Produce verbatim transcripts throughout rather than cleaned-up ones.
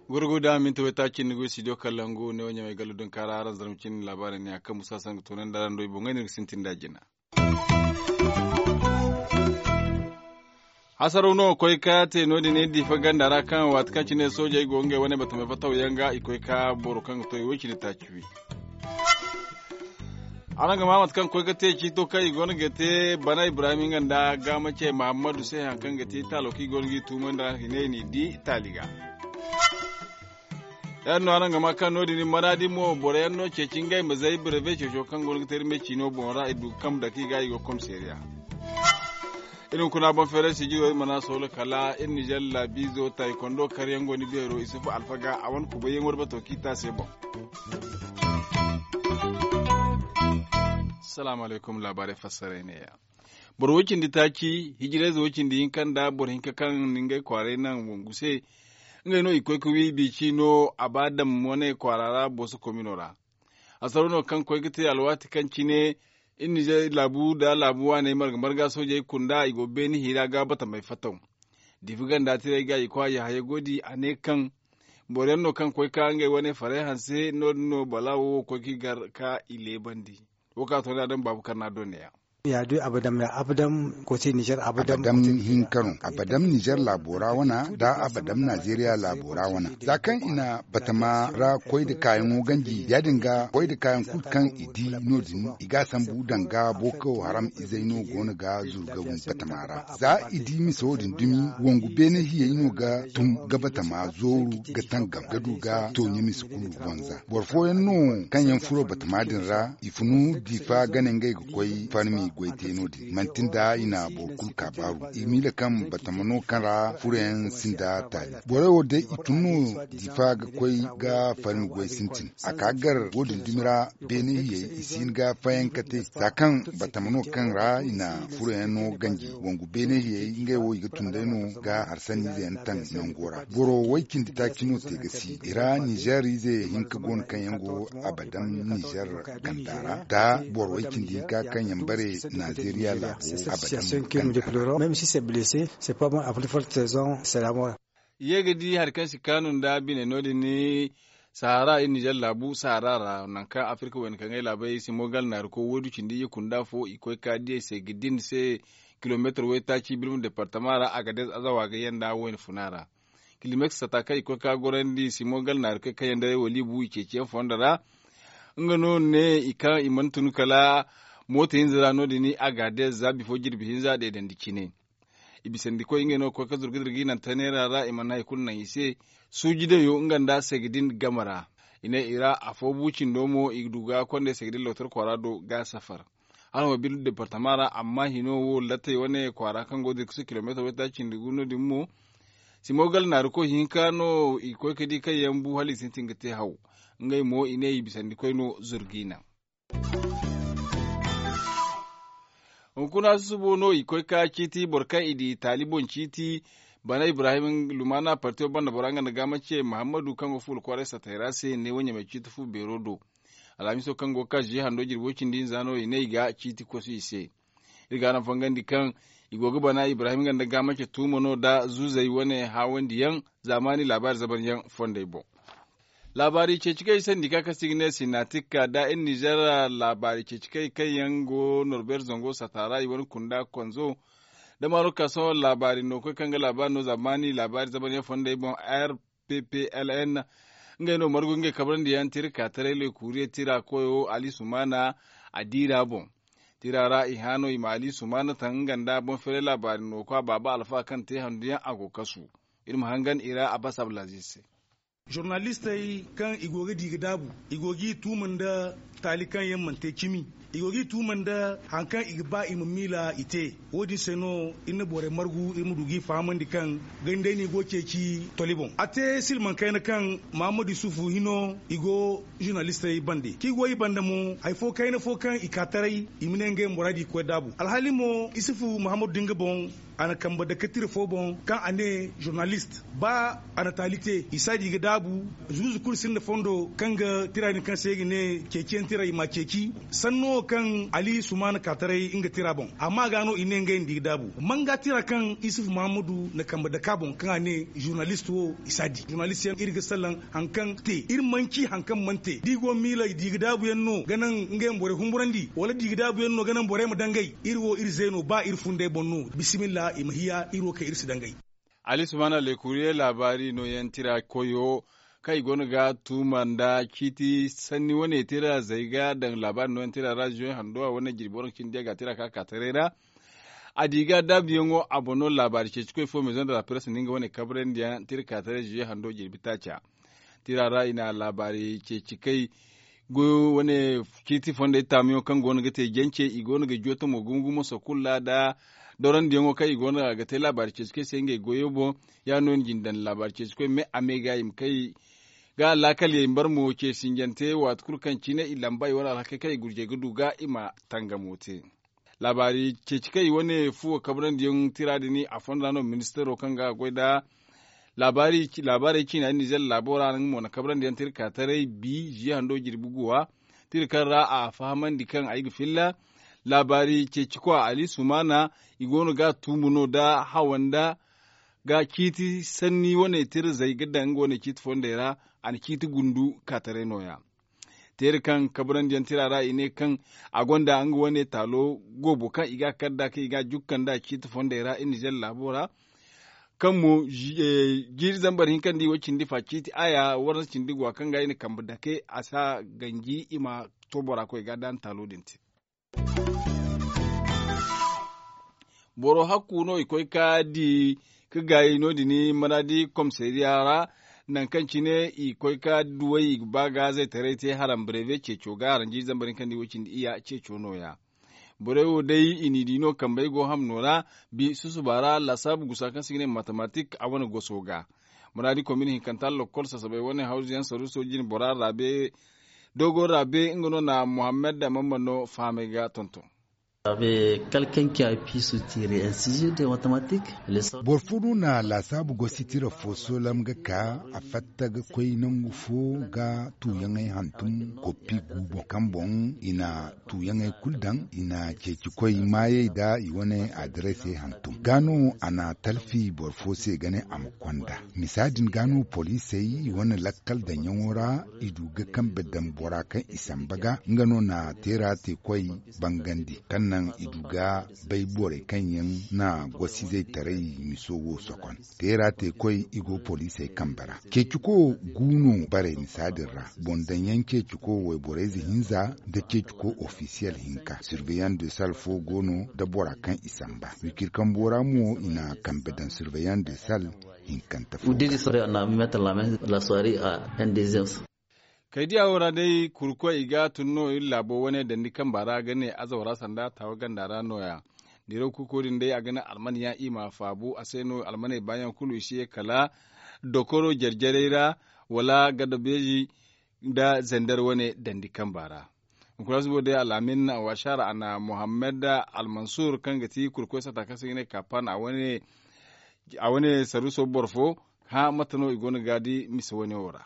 Gurgu da minti waytaaci ni go studio kalangu ne wo ɲamay gallu din kaara araŋ zarma cine laabaarey ne a kaŋ musa saŋ ga toonandi araŋ do i boŋey no ga sintin da jina. Hasaraw no ga koy ka te no- din iri diifa ganda ra kaŋ waati kaŋ cine soojey go ngey wane batamey fattaw yaŋ ga i koy ka boro kaŋ ga to i wo- cine taaci wi. Araŋ ga maa mate kaŋ koy ga te ciito kaŋ i go no ga te bana ibrahim nga nda gaama ce mahammadu se hari kaŋ ga te taalo kaŋ i go no ga i tuumandi ra i ne i n'i di taali ga. Yaadin no araŋ ga maa kaŋ no- din maraadi mo boro yaŋ no ceeci ngey ma zay birebe ceeco kaŋ go no ga te iri me ciino boŋ ra i du ga kambe dake i ga i go komiseeriya. Iri hunkuna boŋ feeray sijiro iri mana soolo kala iri nizer laabiizo taayi kondo karyaŋ go ni beero isufu alfaga a wane kubayyaŋo da bato kaŋ i te a se boŋ. Salaamu alaykum laabaarey fassaray neeya. Boro way cindi taaci hijirayze way cindi hinka nda boro hinka kaŋ na ngey kwaaray naŋ wangu se. Ngey no i koy ga wi biici no a ba dam wane kwaara ra booso komino ra. Hasaro no kaŋ koy ga te alwaati kaŋ cine iri nizer laabu nda laabu waaney marga marga soojey kunda i go beene hiira ga batamey fattaw. Diifa ganda tiray ga i kwaayi haya go di a ne kaŋ boro yaŋ no kaŋ koy ka ngey wane faray hanse no- din no balaawo wo koy ga i gar ka i leebandi. Wo kaŋ a to ne a daŋ baabu karna do neeya. Ya du abadam ya abadam kooti nizer abadam. Abadam hinka no abadam nizer laabo ra wana nda abadam nazeeriya laabo ra wana za kaŋ i na batama ra koy nda kaayaŋo ganji ya- din ga koy nda kaayaŋ kulu kaŋ i di no- din i ga a sambu danga boko haram izey no go no ga zuru ga wi batama ra. Za i di mise wo- din dumi wangu beene hiyey no ga tun ga batama zooru ga tangam ga du ga tooɲe mise kulu wanza boro fooyaŋ no kaŋ yaŋ furo batama din ra i funu diifa gane ngey ga koy farmi goy te no- din manti nda i na boro kulu kaabaaru i miila kaŋ batama no kaŋ ra furoyaŋ sinda taali borey wo day i tun no diifa ga koy ga farmi goy sintin a ka gar wo- din dumi ra beene hiyey i si hin ga fayanka te za kaŋ batama no kaŋ ra i na furoyaŋ no ganji wangu beene hiyey ngey wo i ga tun day no ga harsanniize yaŋ taŋ nango ra boro way cindi taaci no te ga si i ra nizer ize hinka go no kaŋ yaŋ go abadam nizer ganda ra nda boro way cindi hinka kaŋ yaŋ bare nazeeriya laabo abadam ganda ra. Ye ga di hari kaŋ si kaanu nda bine no- din ni sahara iri nizer laabu sahara ra nangu kaŋ afirka wayna kaŋ ay laabay simogal naari koy waydu cindi i kunda fo i koy ka diyey se ga din se kilomeetar waytaaci birma departama ra a ga day azawa ga yanda wayna funa ra. Kilomeetar sata kaŋ i koy ka gorandi simogal naari koy kaŋ yanda walibu i ceeci yaŋ fondo ra. Nga no ne i kaŋ i mana tun kala mooto hinza ra no- din a ga day za bifo jirbi hinza deedandi cine. I bisandi koy ngey no ga koy ga zurga dirga i naŋ taneera ra i mana hari kulu naŋ i se. Suuji dayo nga nda segedin game ra i ne i ra afo bu cindo mo i du ga kondey segedin lotar kwaara do ga safar. Hala mo bilu departama ra amma hino wo lattey wane kwaara kaŋ go dirkasi kilomeetar waytaaci cindi gu no- din mo. Simogal naari koy hinka no i ga koy ga di kaŋ yaŋ bu hala i sintin ga te haw. Ngey mo i ne i bisandi koy no zurga i naŋ. Hunkuna susubo no i koy ka ciiti boro kaŋ i di taali boŋ ciiti bana ibrahim lumaana partiyo banda bora nga nda gaama ce muhammadu kaŋ go fuula kwaaray satay ra se ne wo ɲamay ciiti fu beero do. Alhamiso kaŋ go ga ka ziye hando jirbo cindi hinza no i ne i ga ciiti kosu i se. Iri ga araŋ fangandi kaŋ i go ga bana ibrahim nga nda gaama ce tuumo no nda zuuzey wane haawandiyaŋ zaamaani laabaari zabanyaŋ fondey boŋ. Laabaari ceeci kaŋ i sandi ka kaŋ se i ga ne sinatik ka da iri nizer laabaari ceeci kaŋ i kaŋ yaŋ go norbeer zango sata ra i wane kunda konzo da maroka sohõ laabaari no koy kaŋ ga laabaari no zaamaani laabaari zamanyaŋ fondey boŋ r p p l n. Ngey no margu ngey kabrandi yaŋ tira ka taray le kuuriye tira koyo ali sumaana a diira boŋ. Tira ra i haano i ma ali sumaana taŋ nga nda boŋ feeray laabaari no koy a baaba alfa kaŋ te handu yaŋ a go kasu. Iri ma hangan i ra a basa abdulaziz se. Zurnalistey kaŋ i go ga di ga daabu i go g'i tuuma nda taali kaŋ yaŋ mana te cimi. I go g'i tuuma nda hari kaŋ i ga ba i ma miila i te. Wo- din se no iri na borey margu iri ma du g'i fahamandi kaŋ gandey no i go ga ceeci toli boŋ a te silmaŋ kayna kaŋ mahammadu yusufu hino i go zurnalistey bande kaŋ i go i banda mo hari fo kayna fo kaŋ i ka taray i ma ne ngey ma muraadi ga koy daabu alhaali mo yusufu mahammadu da nga boŋ. A na kambe dake tira fo boŋ kaŋ a ne zurnalist ba a na taali te i si a di ga daabu. Zuuzu kulu sinda fondo kaŋ ga tira din kaŋ se i ga ne ceeciyaŋ tira i m'a ceeci sanno wo kaŋ ali sumaana ka taray nga tira boŋ amma ga no i ne ngey nda i ga daabu manga tira kaŋ isufu mahammadu na kambe dake a boŋ kaŋ a ne zurnalist wo i si a di zurnalist yaŋ iri ga salaŋ hari kaŋ te iri mana ci hari kaŋ mana te da i go miila i di ga daabu yaŋ no ga naŋ ngey ma borey humburandi wala di ga daabu yaŋ no ga naŋ borey ma dangay iri wo iri zeeno ba iri fundey boŋ no. Bisimilla i ma hiya iri wo kaŋ iri si dangay. Ali sumaana lekuriye laabaari nooyaŋ tira koyo kaŋ i go no ga tuuma nda ciiti sanni wane tira zay ga daŋ laabaari nooyaŋ tira ra zuwe hando a wane jirbi waranka cindi a ga tira ka ka taray ra. A di ga daabuyaŋo a boŋ no laabaari ceeci koy fo mezoŋ da la press nda nga wane kabrandi yaŋ tira ka taray zuwe hando jirbi taaca. Tira ra i na laabaari ceeci kay goyo wane ciiti fondey taamuyaŋ kaŋ go no ga te jance i go no ga jootamo gumo gumo sokul ra nda dorandiyaŋo kaŋ i go no ga te laabaari ceeci kay se ngey goyo boŋ. Ya no ni jin daŋ laabaari ceeci koy me a me ga i ma kay ga laakal yay mbar mo ce sinjante waati kulu kaŋ cine i lamba i wane alhakey kaŋ i gurjey ga du ga i ma tangamo te. Laabaari ceeci kaŋ i wane fuwo kabrandi yaŋ tira din a fonda no ministaro kaŋ ga a goy nda laabaarey ciina din nizer laabo ra nga mo na kabrandi yaŋ tira ka taray bi ziya hando jirbi guwa tira kaŋ ra a fahamandi kaŋ ay ga filla laabaari ceeci kwa ali sumaana i go no ga a tuumu no nda hawa nda ga ciiti sanni wane tira zay ga daŋ nga wane ciiti fondey ra. A na ciiti gundu ka taray nooya teeri kaŋ kabrandi yaŋ tira ra i ne kaŋ a gonda nga wane taalo goobo kaŋ i ga a kar nd'a kaŋ i ga a jukka nd'a ciiti fondey ra iri nizer laabo ra. Kaŋ mo jiiri zambar hinka nda i wo cindi fa ciiti aya warza cindi gwa kaŋ ga i na kambe dake a si a ganji i ma to bora koy ga daana taalo din te. Boro hakku no i koy ka di ka gaayi no- din maraadi komisariya ra. Nangu kaŋ cine i koy ka duwey i ga ba ga zaytaray te haram breve ceeco ga haram jiiri zambar hinka nda i wo cindi iya ceeco nooya. Borey wo day i n'i di no kambey go hamno ra. Bi susuba ra laasaabu gusa kaŋ se i ga ne matematik a wane goso ga. Muraadi komine hinkanta lokkol sasabey wane hawzuyaŋ saruuso jine bora raabe doogo raabe nga no na muhammad da mamman no fahamey ga tonton. Avec quelqu'un qui a pu soutirer un sujet de mathématiques. Boro fo no na laasaabu gosi tira fo soolam ga ka a fatta ga koy nangu fo ga tuuyaŋey hantum koppi gu boŋ kaŋ boŋ i na tuuyaŋey kulu daŋ i na ceeci koy maayey nda i wane adarasey hantum ga no a na talfi boro fo se ga ne a ma konda. Misa din ga no poliisey i wane lakkal daŋyaŋo ra i du ga kambe daŋ bora kaŋ i samba ga nga no na teera te koy bangandi kaŋ naŋ i du ga bay borey kaŋ yaŋ na gosizey taray miso wo sokon. Teera te koy i go poliisey kambe ra ceeciko gu no bare misa din ra. Boŋ daŋyaŋ ceeciko wayborey ze hinza nda ceeciko ofisiyel hinka surveillant de sal fo go no nda bora kaŋ i samba wikir kambo ra mo i na kambe daŋ surveillant de sal hinkante fo. Kaydiya wo ra day kurkoy i ga tun no iri laabo wane dandi kamba ra ga ne azawa ra sanda taawa ganda ra nooya. Diraw kurko din day a ga ne alman yaŋ i ma faabu a se no almaney baayaŋ kulu i si ye kala dokoro jare-jarey ra wala gada beeji nda zandar wane dandi kamba ra. Hunkuna subo day al'amin wasaara a na muhammad almansur kaŋ ga ti kurkoy sata kaŋ se ga ne kapan a wane saruuso boro fo hã mate no i go no ga di mise wane wo ra.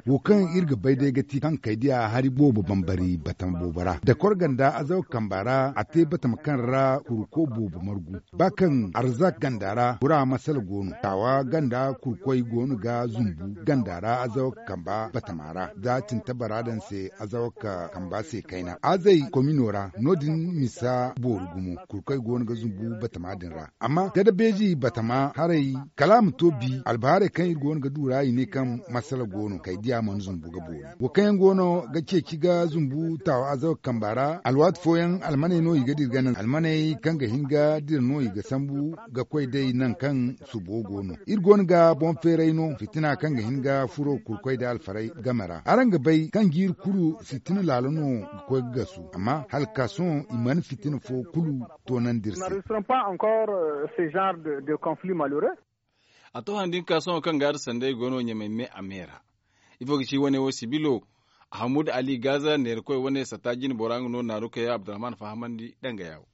Wo kaŋ iri ga bay day ga ti kaŋ kaydiya hari boobo bambari batama boobo ra dakor ganda azawa kamba ra a te batama kaŋ ra kurko boobo margu ba kaŋ arzak ganda ra bura masala go no taawa ganda kurkoy go no ga zumbu ganda ra azawa kamba batama ra za cinta bara daŋ se azawa kamba se kayna azey komino ra no- din misa boori gumo kurkoy go no ga zumbu batama din ra amma gada beeji batama haray kala a ma to bi albahaarey kaŋ iri go no ga du ra i ne kaŋ masala go no kaydiya mana zumbu ga boori wo kaŋ yaŋ go no ga ceeci ga zumbu taawa azawa kamba ra alwaati fooyaŋ almaney no i ga dira ga naŋ almaney kaŋ ga hin ga dira no i ga sambu ga koy day naŋ kaŋ subo go no iri go no ga boŋ feeray no fitina kaŋ ga hin ga furo kurkoy da alfaray game ra araŋ ga bay kaŋ jiiri kulu fitina laala no ga koy ga gasu amma hala ka sohõ i mana fitina fo kulu toonandi iri se. A to han din ka sohõ kaŋ ga iri sanday go no ɲamay me a me ra. Ifo ga ci wane wo sibilo ahamud ali gaza neerakoy wane satta jine bora nga no naaru kay abdurrahman fahamandi danga yawo.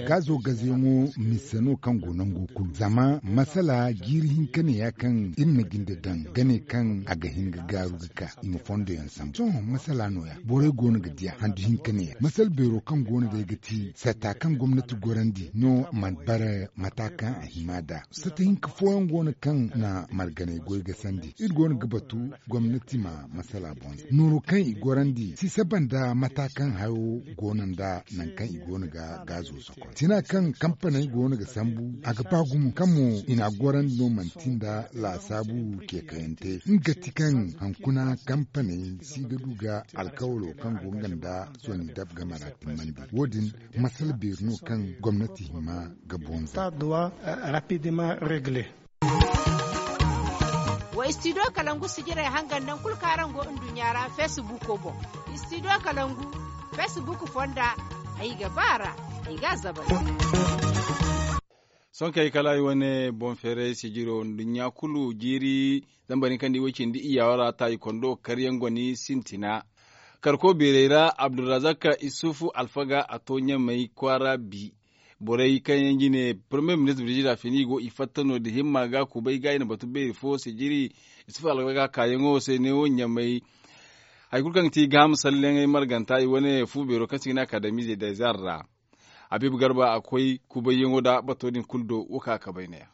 Gaazo gazeyaŋo mise no kaŋ go nango kulu zama masala jiiri hinka ne ya kaŋ iri na jinde daŋ ga ne kaŋ a ga hin ga gaaru ga ka i ma fondo yaŋ sambu sohõ masala no- ya borey go no ga di a handu hinka ne ya masala beero kaŋ go no day ga ti sata kaŋ gomnati gorandi no mana bara mata kaŋ a hima nd'a. Sata hinka fooyaŋ go no kaŋ na marganay goy ga sandi iri go no ga batu gomnati ma masala boŋ se nooro kaŋ i gorandi si saba nda mata kaŋ hayo go no nda nangu kaŋ i go no ga gaazo sokon tina kaŋ kampaney go no ga sambu a ga ba gumo kaŋ mo i n'a gorandi no manti nda laasaabu ceekayante nga ti kaŋ hankuna kampaney si ga du ga alkawalo kaŋ go nga nda soni dab game ra timmandi wo- din masala beeri no kaŋ gomnati hima ga boŋ za. Wa studio kalangu sijirey hangan naŋ kulu kaŋ araŋ go nduɲɲa ra feesibuuko boŋ. Studio kalangu feesibuuku fonda ay ga ba a ra ay ga a zabari. Sohõ kay kala ay wane boŋ feeray sijiro nduɲɲa kulu jiiri zambar hinka nda i way cindi iyyawa ra taayi kondo karyaŋ goni sintina. Karko beerey ra abdulrazak isufu alfaga a to ɲamey kwaara bi. Borey kaŋ yaŋ jine parmiye ministir birjida fini i go i fatta no- din himma ga kubay ga i na batu beeri fo sijiri isufu alfaga kaayaŋo se neewo ɲamey. Hari kulu kaŋ ga ti gaaham salleŋey marganta i wane fu beero kaŋ se i ga ne akadamize dezar ra. Habiibu garba a koy kubayyaŋo nda bato din kulu do wo kaŋ a kabay ne- ya.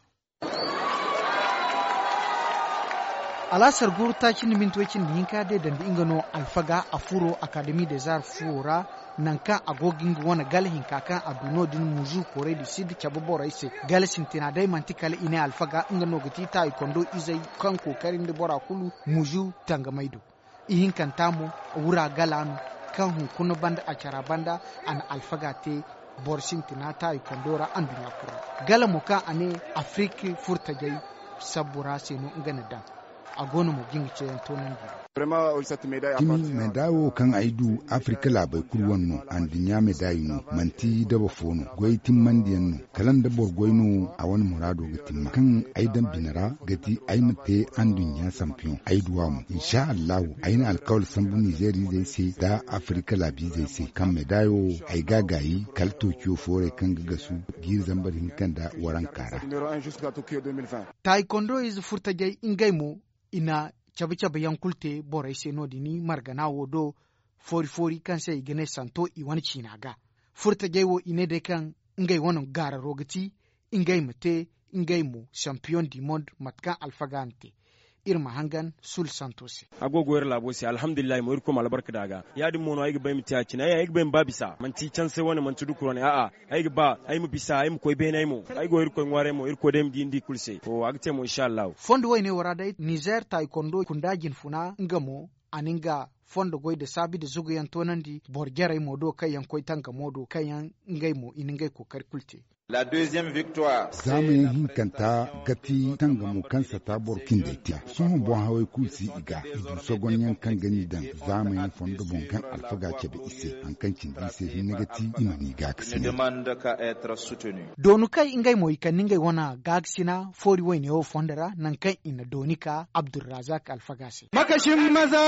Alaasar guru taaci nda minti way cindi hinka day dandi nga no alfaga a furo akademi dezar fuwo ra. Nangu kaŋ a go ga nga wane gala hinka kaŋ a du no- din muzu koorey du sid cabe borey se gala sintina day manti kala i ne alfaga nga no ga ti taayi kondo izey kaŋ kookari nda bora kulu muzu tangamey do. Ihinkanta mo wura gala no kaŋ hunkuna banda a cara banda a na alfaga te boro sintina taayi kondo ra anduɲɲa kulu ra. Gala mo kaŋ a ne afirik furtajey sabbu ra se no nga na daŋ. A go no mo ga nga ceeyaŋ toonandi. Cimi meedaay wo kaŋ ay du afirik laabey kulu wane no anduɲɲa meedaay no manti daba fo no goy timmandiyaŋ no. Kala nda boro goy no a wane muraado ga timma kaŋ ay daŋ bine ra ga ti ay ma te anduɲɲa sampiyoŋ ay du a mo insa allahu ay na alkawal sambu nizeer izey se nda afirika laabiizey se kaŋ meedaayo ay ga a gaayi kala tookiyo foorey kaŋ ga gasu jiiri zambar hinka nda waranka ra. Taayi kondo ize furtajey ngey mo i na cabe cabe yaŋ kulu te borey se no- din margana wo do. Foori foori kaŋ se i ga ne santo i wane ciina ga furtajey wo i ne day kaŋ ngey wane gaararo ga ti ngey ma te ngey mo sampiyoŋ di mond mate kaŋ alfaga na te. Iri ma hangan sul santo se. A go ga wayra laabo se alhamdulillahi mo irkoy ma albarka da a ga. Ya- din mo no ay ga ba ay ma te a cine ay ga ba ay ma ba bisa manti canse wane manti dukura wane a'a. Ay ga ba ay ma bisa ay ma koy beene ay mo ay go irkoy ŋwaaray mo irkoy day ma di ni di kulu se. A ga te mo insa allahu. Fondo wayne wo ra day nizer taaykondo kunda jinfuna nga mo a na nga fondo goy nda saabi nda zuguyaŋ toonandi boro jarey mo do kaŋ yaŋ koy tangamo do kaŋ yaŋ ngey mo i na ngey kookari kulu te. Zaamayaŋ hinkanta ga ti tangamo kaŋ sata boro cindey te. Sohõ boŋ hawey kulu si i ga i du sogonyaŋ kaŋ ga ni daŋ zaamayaŋ fondo boŋ kaŋ alfaga cabe i se hari kaŋ cindi i se hinne ga ti i ma n'i gaakasina. Doonu kaŋ ngey mo i kande ngey wane gaakasina foori wayne wo fondo ra nangu kaŋ i na dooni ka abdulrazak alfaga se. Makasin maza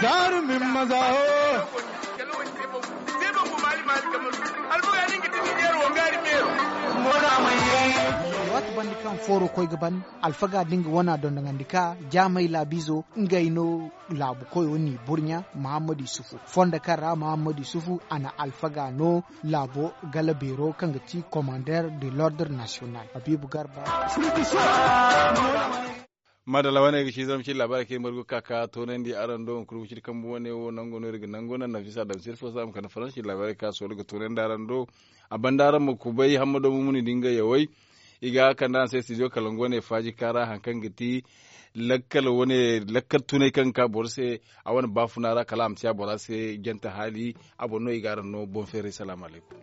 zaarumin maza ho. Waati banda kaŋ fooro koy ga ban alfaga da nga wana dondonandi ka jaamay laabiizo ngey no laabu koyo n'i burɲa mahammadu yusufu fondo kaŋ ra mahammadu yusufu a na alfaga no laabo gala beero kaŋ ga ti komander de l'ordre national habiibu garba. Madalla wane ga ci zama ci labaari kaŋ margu kaka toonandi araŋ do hunkuna ga ci kambu wane wo nango no iri ga nango naŋ nafisa daŋ sirfo za ma kande faransi labaari ka soolu ga toonandi araŋ do. A banda araŋ ma kubay hammado mumuni da nga yaway i ga kande araŋ se studio kalangu wane faaji kaara hari kaŋ ga ti lakkal wane lakkal tunay kaŋ ga ka boro se a wane baafuna ra kala a ma si a bora se jante haali. A boro no i ga araŋ no boŋ feeray salaamu alaykum.